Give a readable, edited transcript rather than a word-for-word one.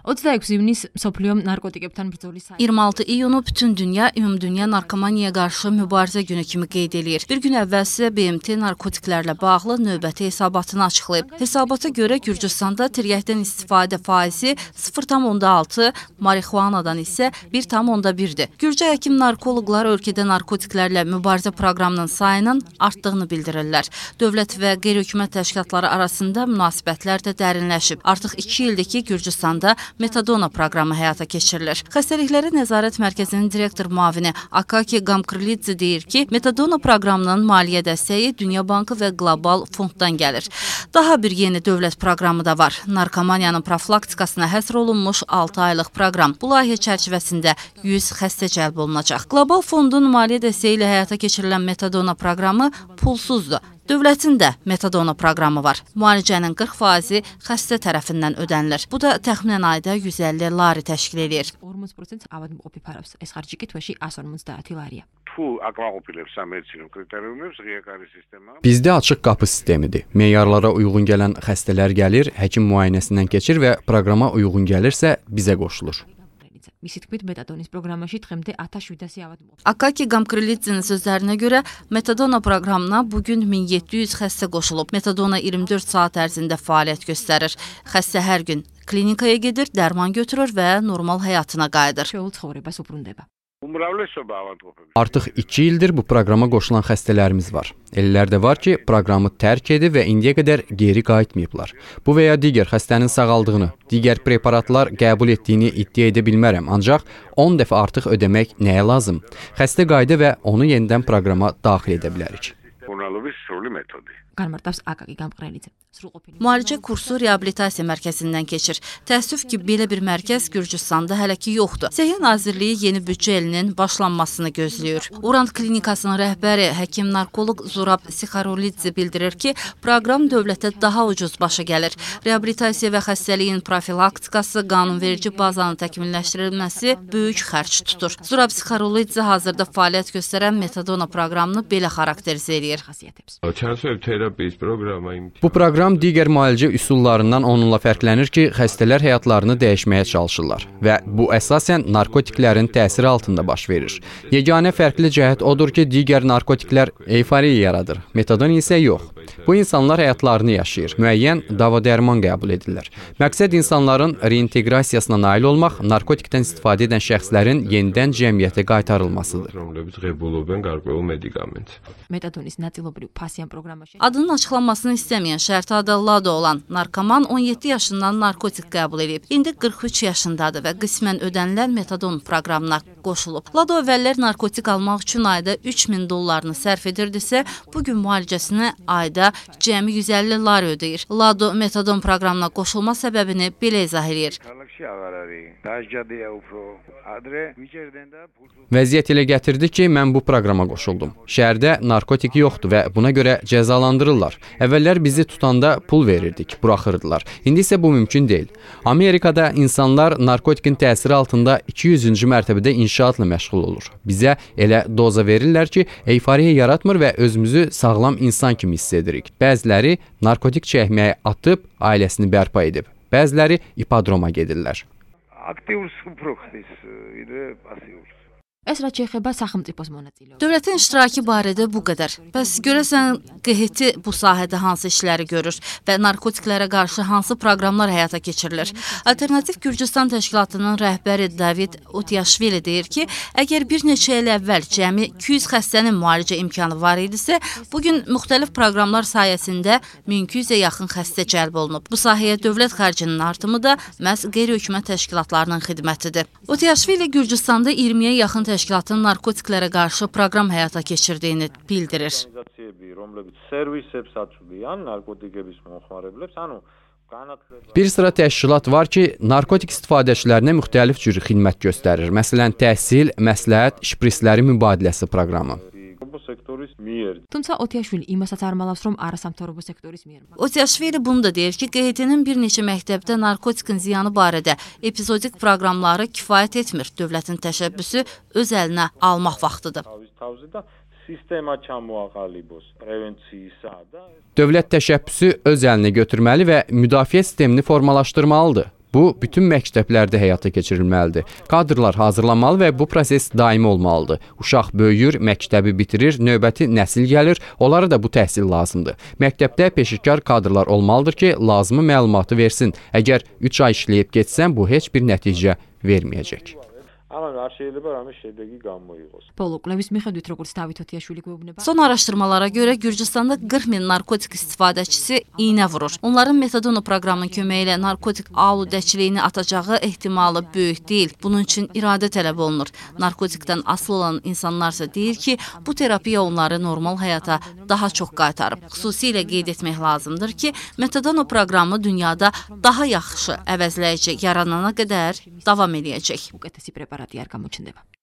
26 iyunis მსოფლიო narkotikebtan bრძოლის 26 iyunu bütün dünya ümumdünya narkomaniyaya qarşı mübarizə günü kimi qeyd edir. Bir gün əvvəl isə BMT narkotiklərlə bağlı növbəti hesabatını açıqlayıb. Hesabata görə Gürcüstanda tiryəkdən istifadə faizi 0,6, marixuanadan isə 1,1-dir. Gürcü həkim narkoloqlar ölkədə narkotiklərlə mübarizə proqramının sayının artdığını bildirirlər. Dövlət və qeyri-hökumət təşkilatları arasında münasibətlər də dərinləşib. Artıq 2 ildir ki, Gürcüstanda Metadona proqramı həyata keçirilir. Xəstəliklərə Nəzarət Mərkəzinin direktor müavini Akaki Gamkrlidze deyir ki, Metadona proqramının maliyyə dəstəyi Dünya Bankı və Qlobal Fonddan gəlir. Daha bir yeni dövlət proqramı da var. Narkomaniyanın profilaktikasına həsr olunmuş 6 aylıq proqram. Bu layihə çərçivəsində 100 xəstə cəlb olunacaq. Qlobal Fondun maliyyə dəstəyi ilə həyata keçirilən Metadona proqramı pulsuzdur. Dövlətin də Metadona proqramı var. Müalicənin 40% xəstə tərəfindən ödənilir. Bu da təxminən ayda 150 lari təşkil edir. 40% avადმყოფი ფარავს. ეს ხარჯი კი თვეში 150 ლარია. Bizdə açıq qapı sistemidir. Meyarlara uyğun gələn xəstələr gəlir, həkim müayinəsindən keçir və proqrama uyğun gəlirsə bizə qoşulur. მისი თქმით, მეტადონის პროგრამაში დღემდე 1700 ავადმყოფი. Akaki Gamkrlidze'nin sözlərinə görə Metadona proqramına bugün 1700 xəstə qoşulub. Metadona 24 saat ərzində fəaliyyət göstərir. Xəstə hər gün klinikaya gedir, dərman götürür və normal həyatına qayıdır. Şeul ცხოვრებას uბრუნდება. Artıq 2 ildir bu proqrama qoşulan xəstələrimiz var. Ellər də var ki, proqramı tərk edib və indiyə qədər geri qayıtmayıblar. Bu və ya digər xəstənin sağaldığını, digər preparatlar qəbul etdiyini iddia edə bilmərəm, ancaq 10 dəfə artıq ödəmək nəyə lazım? Xəstə qayıdı və onu yenidən proqrama daxil edə bilərik. Qarmartavs Akaki Gamkrlidze. Müalicə kursu reabilitasiya mərkəzindən keçir. Təəssüf ki, belə bir mərkəz Gürcüstanda hələ ki yoxdur. Səhiyyə Nazirliyi yeni büdcə ilinin başlanmasını gözləyir. Urant klinikasının rəhbəri həkim narkoloq Zurab Sikharolidze bildirir ki, proqram dövlətə daha ucuz başa gəlir. Reabilitasiya və xəstəliyin profilaktikası, qanunverici bazanın təkmilləşdirilməsi böyük xərc tutur. Zurab Sikharolidze hazırda fəaliyyət göstərən Metadona proqramını belə xarakterizə edir. Bu proqram digər müalicə üsullarından onunla fərqlənir ki, xəstələr həyatlarını dəyişməyə çalışırlar və bu əsasən narkotiklərin təsiri altında baş verir. Yeganə fərqli cəhət odur ki, digər narkotiklər euforiya yaradır, metadon isə yox. Bu insanlar həyatlarını yaşayır, müəyyən dava-dərman qəbul edirlər. Məqsəd insanların reinteqrasiyasına nail olmaq, narkotikdən istifadə edən şəxslərin yenidən cəmiyyətə qaytarılmasıdır. Metadonis ნაწილობრივ ფასიან პროგრამაში. Adının açıqlanmasını istəməyən şərti adı Lado olan narkoman 17 yaşından narkotik qəbul edib. İndi 43 yaşındadır və qismən ödənilən Metadon proqramına qoşulub. Lado əvvəllər narkotik almaq üçün ayda 3000 dollarını sərf edirdisə, bugün müalicəsinə ayda cəmi 150 lari ödəyir. Lado Metadon proqramına qoşulma səbəbini belə izah edir. Vəziyyət elə gətirdi ki, mən bu proqrama qoşuldum. Şəhərdə narkotik yoxdur və buna görə cəzalandırırlar. Əvvəllər bizi tutanda pul verirdik, buraxırdılar. İndi isə bu mümkün deyil. Amerikada insanlar narkotikin təsiri altında 200-cü mərtəbədə inşaatla məşğul olur. Bizə elə doza verirlər ki, euforiya yaratmır və özümüzü sağlam insan kimi hiss edirik. Bəziləri narkotik çəkməyə atıb ailəsini bərpa edib. Bəziləri ipodroma gedirlər. ეს რაც შეეხება სახელმწიფოს მონაწილეობას. Dövlətin iştirakı barədə bu qədər. Bəs görəsən QHT bu sahədə hansı işləri görür və narkotiklərə qarşı hansı proqramlar həyata keçirilir? Alternativ Gürcüstan təşkilatının rəhbəri David Otiashvili deyir ki, əgər bir neçə il əvvəl cəmi 200 xəstənin müalicə imkanı var idisə, bugün müxtəlif proqramlar sayəsində 1200-ə yaxın xəstə cəlb olunub. Bu sahəyə dövlət xərcinin artımı da məhz qeyri-hökumət təşkilatlarının xidmətidir. Otiashvili Gürcüstanda 20-yə yaxın təşkilatın narkotiklərə qarşı proqram həyata keçirdiyini bildirir. Bir sıra təşkilat var ki, narkotik istifadəçilərinə müxtəlif cür xidmət göstərir. Məsələn, təhsil, məsləhət, şprisləri mübadiləsi proqramı. თუმცა ოტიაშვილი იმასაც არ მალავს, რომ არასამთავრობო სექტორის მიერ. Otiashvili bunu da deyir ki, QHT-nin bir neçə məktəbdə narkotikin ziyanı barədə epizodik proqramları kifayət etmir. Dövlətin təşəbbüsü öz əlinə almaq vaxtıdır. Dövlət təşəbbüsü öz əlinə götürməli və müdafiə sistemini formalaşdırmalıdır. Bu bütün məktəblərdə həyata keçirilməlidir. Kadrlar hazırlanmalı və bu proses daimi olmalıdır. Uşaq böyüyür, məktəbi bitirir, növbəti nəsil gəlir, onlara da bu təhsil lazımdır. Məktəbdə peşəkar kadrlar olmalıdır ki, lazımi məlumatı versin. Əgər 3 ay işləyib getsən, bu heç bir nəticə verməyəcək. პოლოკლების მიხედვით, როგორც დავით ოტიაშვილი გვეუბნება, Son araşdırmalara görə Gürcüstanda 40 min narkotik istifadəçisi iynə vurur. Onların Metadono proqramının köməyi ilə narkotik aludəçiliyini atacağı ehtimalı böyük deyil. Bunun üçün iradə tələb olunur. Narkotikdən asılı olan insanlarsa deyir ki, bu terapiya onları normal həyata daha çox qaytarıb. Xüsusilə qeyd etmək lazımdır ki, Metadono proqramı dünyada daha yaxşı əvəzləyici yaranana qədər davam eləyəcək. უკეთესი პრეპარატი არ გამოჩნდება.